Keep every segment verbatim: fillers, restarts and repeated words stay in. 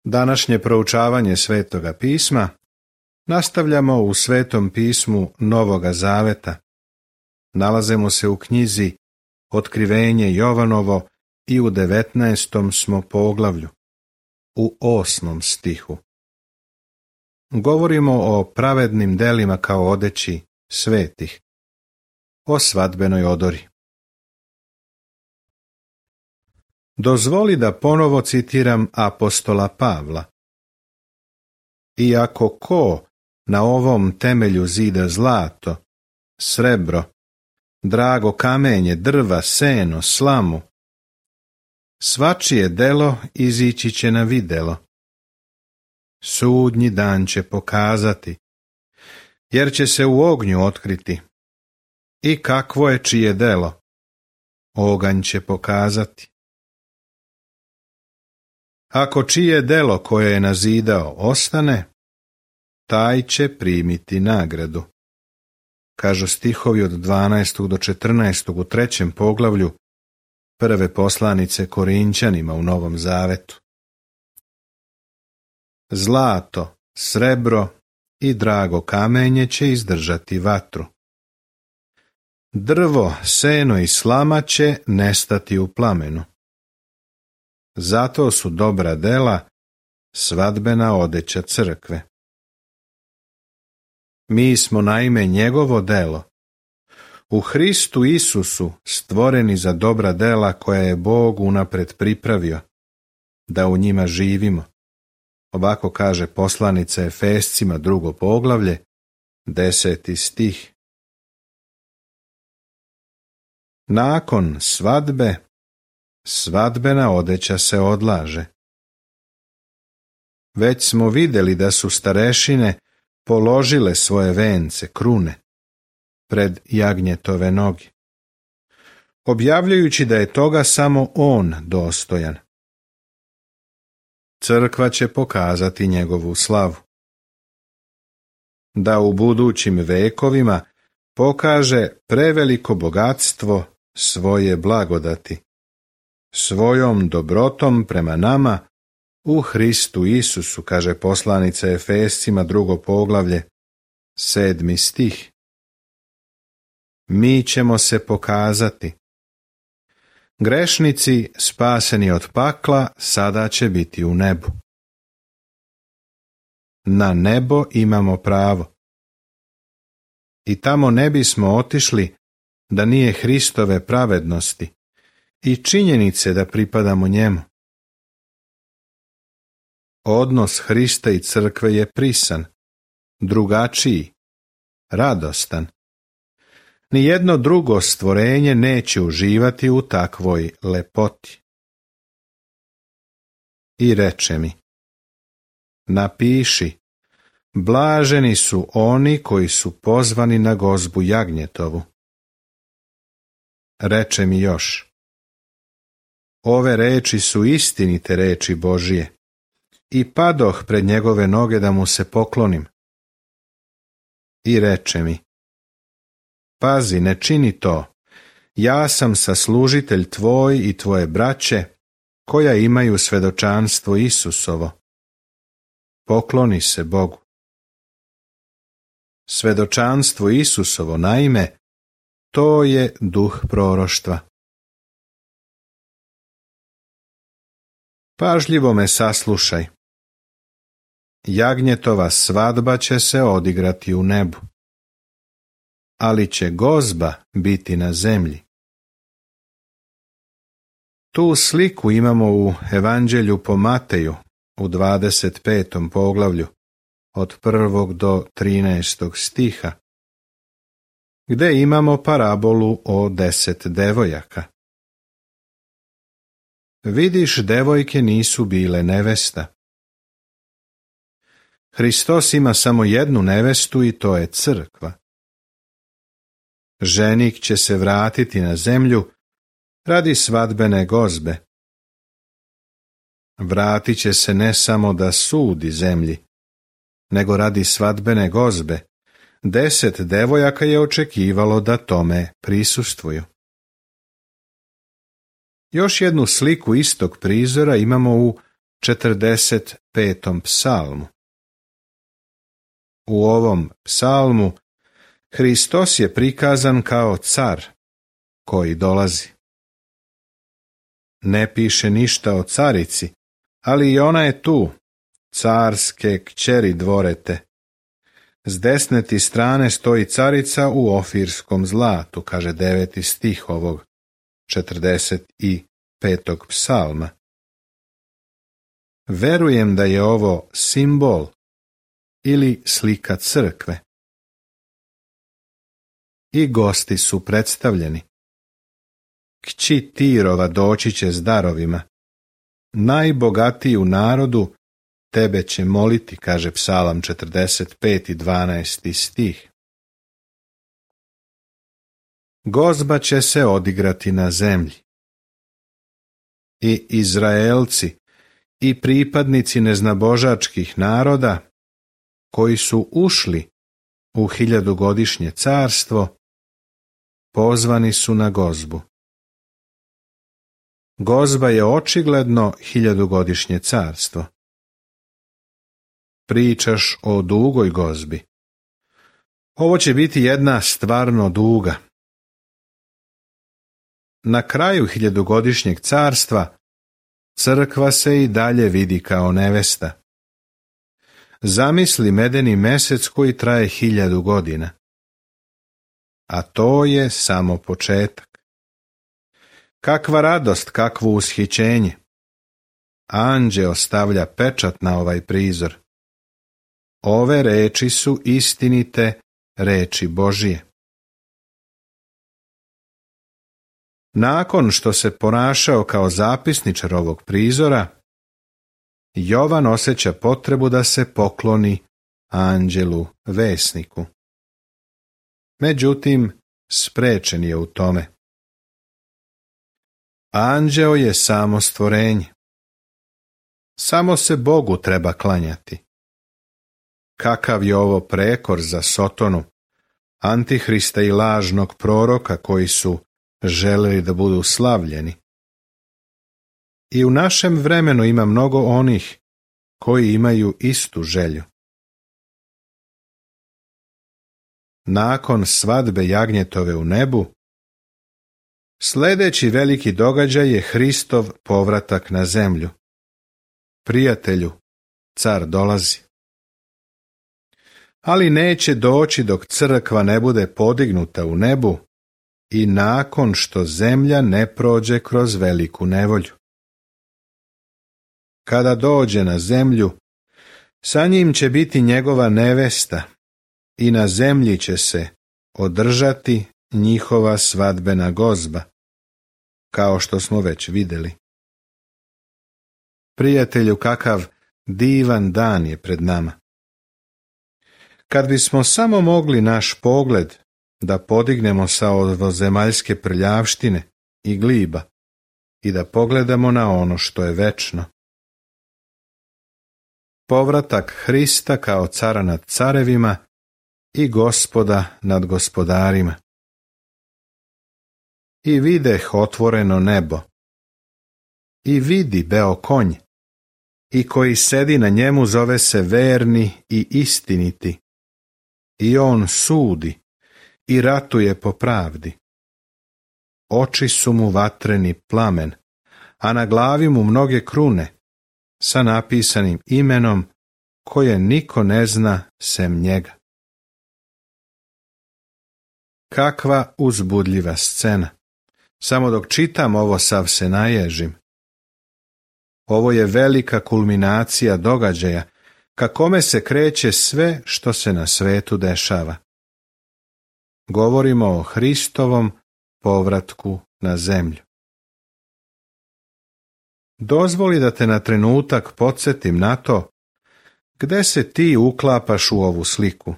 Današnje proučavanje Svetoga pisma nastavljamo u Svetom pismu Novoga Zaveta. Nalazimo se u knjizi Otkrivenje Jovanovo i u devetnaestom smo poglavlju, u osmom stihu. Govorimo o pravednim delima kao odeći svetih, o svadbenoj odori. Dozvoli da ponovo citiram apostola Pavla. Iako ko na ovom temelju zida zlato, srebro, drago kamenje, drva, seno, slamu, svačije delo izići će na videlo. Sudnji dan će pokazati, jer će se u ognju otkriti. I kakvo je čije delo, oganj će pokazati. Ako čije delo koje je nazidao ostane, taj će primiti nagradu. Kažu stihovi od dvanaestog do četrnaestog u trećem poglavlju prve poslanice Korinćanima u Novom Zavetu. Zlato, srebro i drago kamenje će izdržati vatru. Drvo, seno i slama će nestati u plamenu. Zato su dobra dela svadbena odeća crkve. Mi smo naime njegovo delo, u Hristu Isusu stvoreni za dobra dela koja je Bog unapred pripravio, da u njima živimo. Ovako kaže poslanica Efescima drugo poglavlje, deseti stih. Nakon svadbe, svadbena odeća se odlaže. Već smo vidjeli da su starešine položile svoje vence, krune, pred jagnjetove noge, objavljujući da je toga samo on dostojan. Crkva će pokazati njegovu slavu, da u budućim vekovima pokaže preveliko bogatstvo svoje blagodati, svojom dobrotom prema nama u Hristu Isusu, kaže poslanica Efescima drugo poglavlje, sedmi stih. Mi ćemo se pokazati. Grešnici spaseni od pakla sada će biti u nebu. Na nebo imamo pravo. I tamo ne bismo otišli da nije Hristove pravednosti i činjenice da pripadamo njemu. Odnos Hrista i crkve je prisan, drugačiji, radostan. Nijedno drugo stvorenje neće uživati u takvoj lepoti. I reče mi, napiši, blaženi su oni koji su pozvani na gozbu jagnjetovu. Reče mi još, ove reči su istinite reči Božije, i padoh pred njegove noge da mu se poklonim. I reče mi, pazi, ne čini to, ja sam saslužitelj tvoj i tvoje braće, koja imaju svedočanstvo Isusovo. Pokloni se Bogu. Svedočanstvo Isusovo, naime, to je duh proroštva. Pažljivo me saslušaj. Jagnjetova svadba će se odigrati u nebu, ali će gozba biti na zemlji. Tu sliku imamo u Evanđelju po Mateju u dvadeset petom poglavlju od prvog do trinaestog stiha, gde imamo parabolu o deset devojaka. Vidiš, devojke nisu bile nevesta. Hristos ima samo jednu nevestu i to je crkva. Ženik će se vratiti na zemlju radi svadbene gozbe. Vratit će se ne samo da sudi zemlji, nego radi svadbene gozbe. Deset devojaka je očekivalo da tome prisustvuju. Još jednu sliku istog prizora imamo u četrdeset petom psalmu. U ovom psalmu Hristos je prikazan kao car koji dolazi. Ne piše ništa o carici, ali i ona je tu, carske kćeri dvorete. S desne ti strane stoji carica u ofirskom zlatu, kaže deveti stih ovog četrdeset petog psalma. Verujem da je ovo simbol ili slika crkve. I gosti su predstavljeni. Kći Tirova doći će s darovima. Najbogatiji u narodu tebe će moliti, kaže psalam četrdeset peti dvanaesti stih. Gozba će se odigrati na zemlji. I Izraelci i pripadnici neznabožačkih naroda koji su ušli u hiljadugodišnje carstvo, pozvani su na gozbu. Gozba je očigledno hiljadugodišnje carstvo. Pričaš o dugoj gozbi. Ovo će biti jedna stvarno duga. Na kraju hiljadugodišnjeg carstva crkva se i dalje vidi kao nevesta. Zamisli medeni mesec koji traje hiljadu godina. A to je samo početak. Kakva radost, kakvo ushićenje. Anđeo stavlja pečat na ovaj prizor. Ove reči su istinite reči Božije. Nakon što se ponašao kao zapisničar ovog prizora, Jovan osjeća potrebu da se pokloni anđelu vesniku. Međutim, sprečen je u tome. Anđeo je samo stvorenje. Samo se Bogu treba klanjati. Kakav je ovo prekor za Sotonu, Antihrista i lažnog proroka koji su želeli da budu slavljeni. I u našem vremenu ima mnogo onih koji imaju istu želju. Nakon svadbe jagnjetove u nebu, sljedeći veliki događaj je Hristov povratak na zemlju. Prijatelju, car dolazi. Ali neće doći dok crkva ne bude podignuta u nebu i nakon što zemlja ne prođe kroz veliku nevolju. Kada dođe na zemlju, sa njim će biti njegova nevesta i na zemlji će se održati njihova svadbena gozba, kao što smo već vidjeli. Prijatelju, kakav divan dan je pred nama. Kad bismo samo mogli naš pogled da podignemo sa ovozemaljske prljavštine i gliba i da pogledamo na ono što je večno. Povratak Hrista kao cara nad carevima i Gospoda nad gospodarima. I videh otvoreno nebo. I vidi beo konj. I koji sedi na njemu zove se verni i istiniti. I on sudi i ratuje po pravdi. Oči su mu vatreni plamen, a na glavi mu mnoge krune, sa napisanim imenom koje niko ne zna sem njega. Kakva uzbudljiva scena! Samo dok čitam ovo sav se naježim. Ovo je velika kulminacija događaja, ka kome se kreće sve što se na svetu dešava. Govorimo o Hristovom povratku na zemlju. Dozvoli da te na trenutak podsjetim na to gde se ti uklapaš u ovu sliku.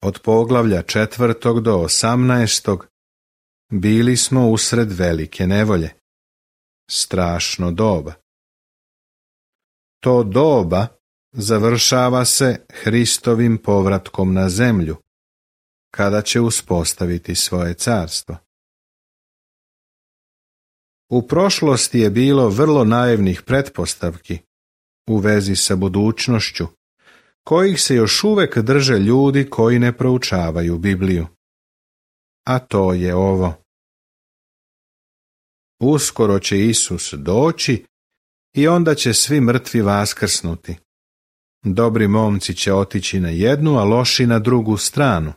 Od poglavlja četvrtog do osamnaestog bili smo usred velike nevolje. Strašno doba. To doba završava se Hristovim povratkom na zemlju, kada će uspostaviti svoje carstvo. U prošlosti je bilo vrlo naivnih pretpostavki u vezi sa budućnošću, kojih se još uvek drže ljudi koji ne proučavaju Bibliju. A to je ovo. Uskoro će Isus doći i onda će svi mrtvi vaskrsnuti. Dobri momci će otići na jednu, a loši na drugu stranu.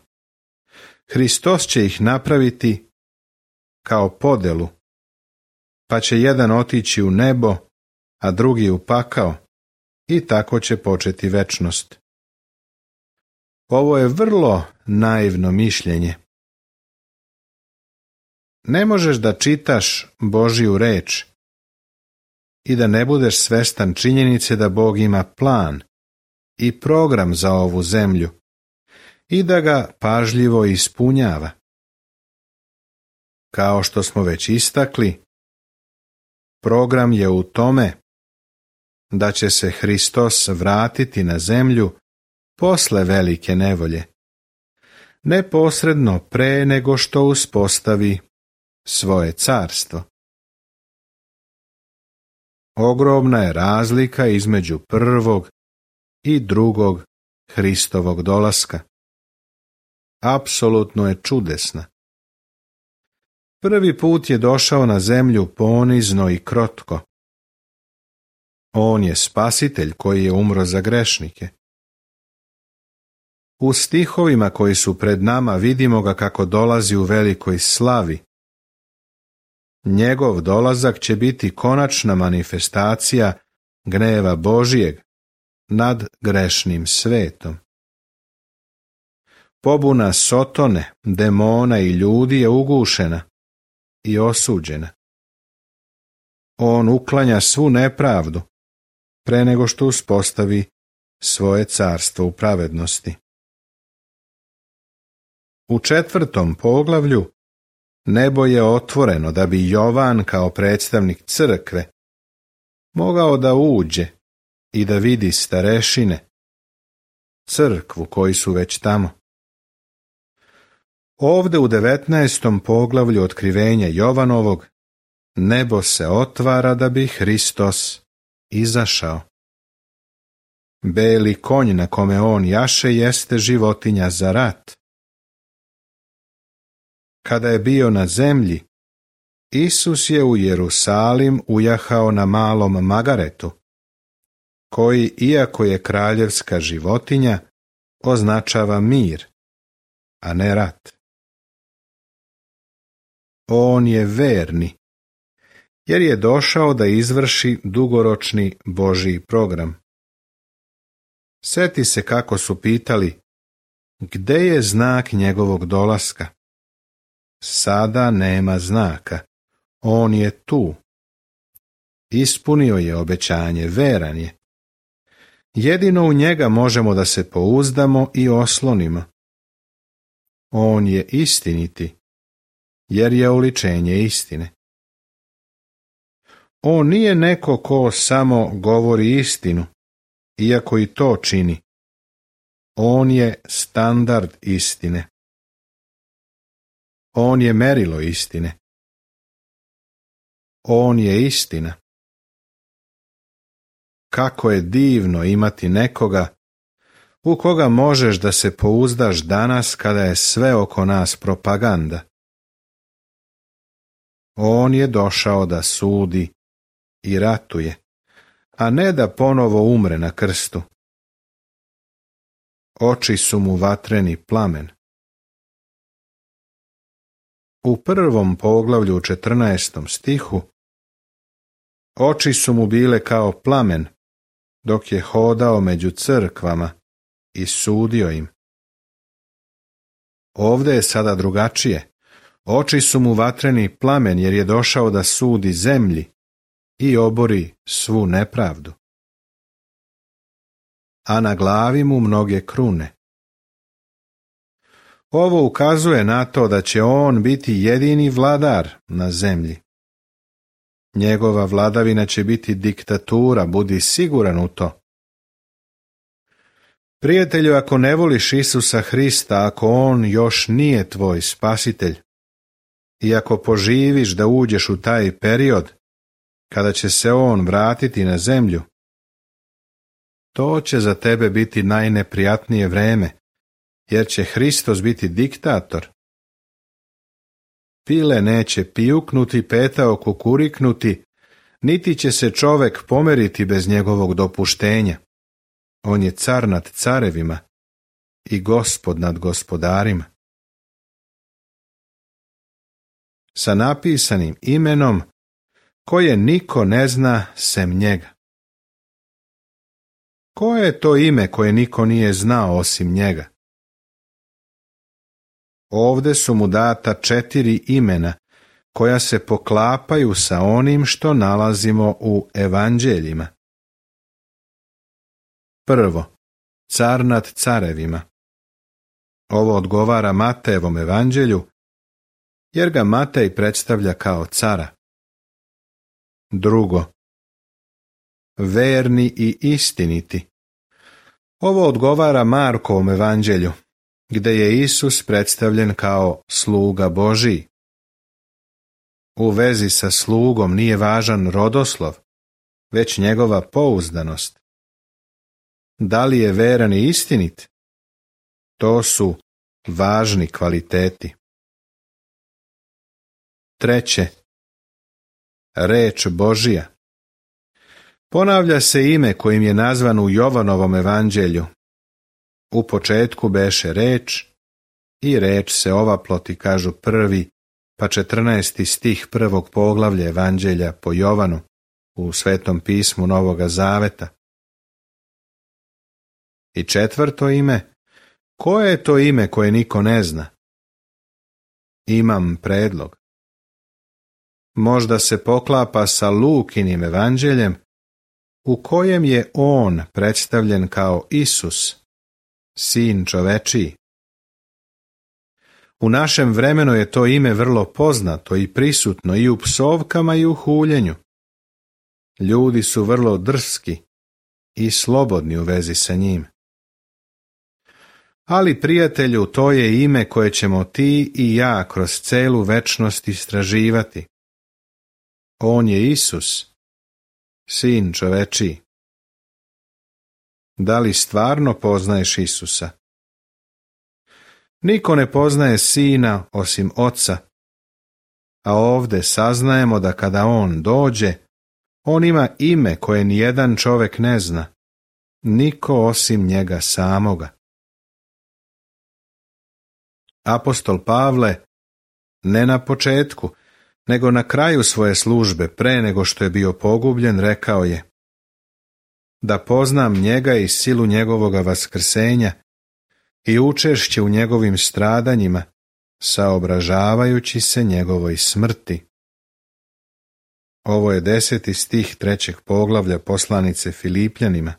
Hristos će ih napraviti kao podelu, pa će jedan otići u nebo, a drugi u pakao, i tako će početi večnost. Ovo je vrlo naivno mišljenje. Ne možeš da čitaš Božju reč i da ne budeš svestan činjenice da Bog ima plan i program za ovu zemlju i da ga pažljivo ispunjava. Kao što smo već istakli, program je u tome da će se Hristos vratiti na zemlju posle velike nevolje, neposredno pre nego što uspostavi svoje carstvo. Ogromna je razlika između prvog i drugog Hristovog dolaska. Apsolutno je čudesna. Prvi put je došao na zemlju ponizno i krotko. On je spasitelj koji je umro za grešnike. U stihovima koji su pred nama vidimo ga kako dolazi u velikoj slavi. Njegov dolazak će biti konačna manifestacija gneva Božijeg nad grešnim svetom. Pobuna Sotone, demona i ljudi je ugušena i osuđena. On uklanja svu nepravdu pre nego što uspostavi svoje carstvo u pravednosti. U četvrtom poglavlju nebo je otvoreno da bi Jovan kao predstavnik crkve mogao da uđe i da vidi starešine, crkvu koji su već tamo. Ovde u devetnaestom poglavlju otkrivenja Jovanovog nebo se otvara da bi Hristos izašao. Beli konj na kome on jaše jeste životinja za rat. Kada je bio na zemlji, Isus je u Jerusalim ujahao na malom magaretu, koji, iako je kraljevska životinja, označava mir, a ne rat. On je verni, jer je došao da izvrši dugoročni Božji program. Seti se kako su pitali, gde je znak njegovog dolaska? Sada nema znaka, on je tu. Ispunio je obećanje, veran je. Jedino u njega možemo da se pouzdamo i oslonimo. On je istiniti, jer je oličenje istine. On nije neko ko samo govori istinu, iako i to čini. On je standard istine. On je merilo istine. On je istina. Kako je divno imati nekoga u koga možeš da se pouzdaš danas kada je sve oko nas propaganda. On je došao da sudi i ratuje, a ne da ponovo umre na krstu. Oči su mu vatreni plamen. U prvom poglavlju u četrnaestom stihu oči su mu bile kao plamen dok je hodao među crkvama i sudio im. Ovde je sada drugačije. Oči su mu vatreni plamen jer je došao da sudi zemlji i obori svu nepravdu. A na glavi mu mnoge krune. Ovo ukazuje na to da će on biti jedini vladar na zemlji. Njegova vladavina će biti diktatura, budi siguran u to. Prijatelju, ako ne voliš Isusa Hrista, ako on još nije tvoj spasitelj, I ako poživiš da uđeš u taj period, kada će se on vratiti na zemlju, to će za tebe biti najneprijatnije vreme, jer će Hristos biti diktator. Pile neće pijuknuti, petao kukuriknuti, niti će se čovek pomeriti bez njegovog dopuštenja. On je car nad carevima i gospod nad gospodarima. Sa napisanim imenom koje niko ne zna sem njega. Koje je to ime koje niko nije znao osim njega? Ovde su mu data četiri imena koja se poklapaju sa onim što nalazimo u evanđeljima. Prvo, car nad carevima. Ovo odgovara Matejevom evanđelju, jer ga Matej predstavlja kao cara. Drugo, verni i istiniti. Ovo odgovara Markovom evanđelju, gde je Isus predstavljen kao sluga Božiji. U vezi sa slugom nije važan rodoslov, već njegova pouzdanost. Da li je veran i istinit? To su važni kvaliteti. Treće, reč Božija. Ponavlja se ime kojim je nazvan u Jovanovom evanđelju. U početku beše reč i reč se ovaploti, kažu prvi pa četrnaesti stih prvog poglavlja evanđelja po Jovanu u Svetom pismu Novoga Zaveta. I četvrto ime, koje je to ime koje niko ne zna? Imam predlog. Možda se poklapa sa Lukinim evanđeljem, u kojem je on predstavljen kao Isus, sin čovečiji. U našem vremenu je to ime vrlo poznato i prisutno i u psovkama i u huljenju. Ljudi su vrlo drski i slobodni u vezi sa njim. Ali, prijatelju, to je ime koje ćemo ti i ja kroz celu večnost istraživati. On je Isus, sin čovečiji. Da li stvarno poznaješ Isusa? Niko ne poznaje sina osim oca, a ovde saznajemo da kada on dođe, on ima ime koje nijedan čovek ne zna, niko osim njega samoga. Apostol Pavle, ne na početku, nego na kraju svoje službe, pre nego što je bio pogubljen, rekao je: da poznam njega i silu njegovoga vaskrsenja i učešće u njegovim stradanjima, saobražavajući se njegovoj smrti. Ovo je deseti stih trećeg poglavlja poslanice Filipljanima.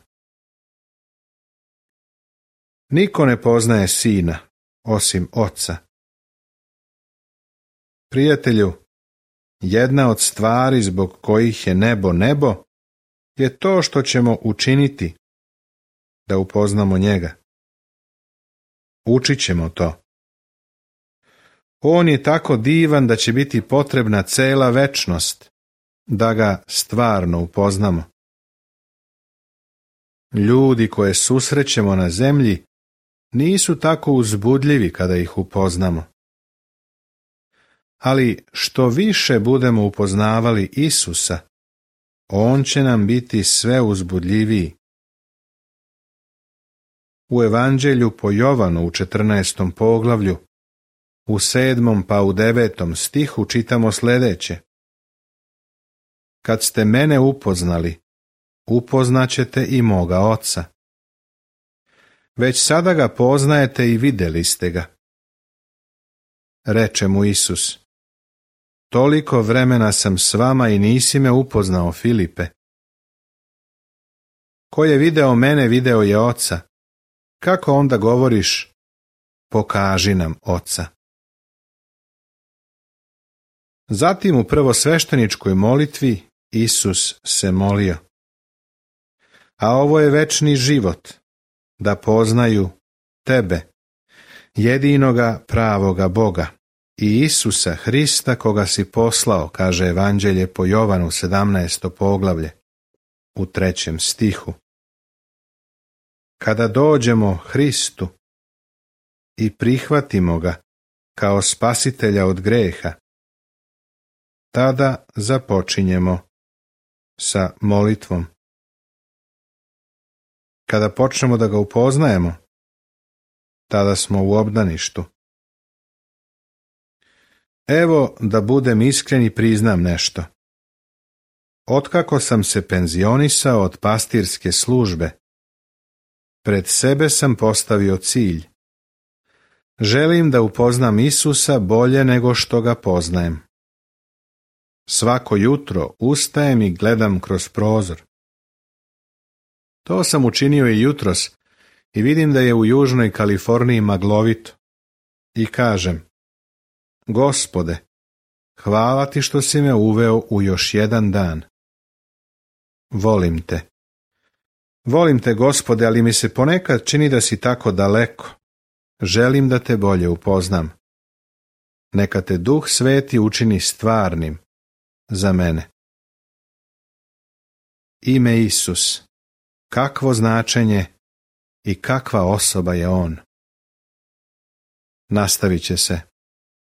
Niko ne poznaje sina, osim oca. Prijatelju, jedna od stvari zbog kojih je nebo nebo je to što ćemo učiniti da upoznamo njega. Učit ćemo to. On je tako divan da će biti potrebna cela večnost da ga stvarno upoznamo. Ljudi koje susrećemo na zemlji nisu tako uzbudljivi kada ih upoznamo. Ali što više budemo upoznavali Isusa, on će nam biti sve uzbudljiviji. U evanđelju po Jovanu u četrnaestom poglavlju, u sedmom pa u devetom stihu čitamo sljedeće: kad ste mene upoznali, upoznaćete i moga oca. Već sada ga poznajete i vidjeli ste ga. Reče mu Isus: toliko vremena sam s vama i nisi me upoznao, Filipe. Ko je video mene, video je oca. Kako onda govoriš: pokaži nam oca? Zatim u prvosvešteničkoj molitvi Isus se molio: a ovo je večni život, da poznaju tebe, jedinoga pravoga Boga, i Isusa Hrista koga si poslao, kaže Evanđelje po Jovanu sedamnaesto poglavlje, u trećem stihu. Kada dođemo Hristu i prihvatimo ga kao spasitelja od greha, tada započinjemo sa molitvom. Kada počnemo da ga upoznajemo, tada smo u obdaništu. Evo, da budem iskren i priznam nešto. Otkako sam se penzionisao od pastirske službe, pred sebe sam postavio cilj. Želim da upoznam Isusa bolje nego što ga poznajem. Svako jutro ustajem i gledam kroz prozor. To sam učinio i jutros i vidim da je u južnoj Kaliforniji maglovito. I kažem: Gospode, hvala ti što si me uveo u još jedan dan. Volim te. Volim te, Gospode, ali mi se ponekad čini da si tako daleko. Želim da te bolje upoznam. Neka te Duh Sveti učini stvarnim za mene. Ime Isus. Kakvo značenje i kakva osoba je on. Nastavit će se.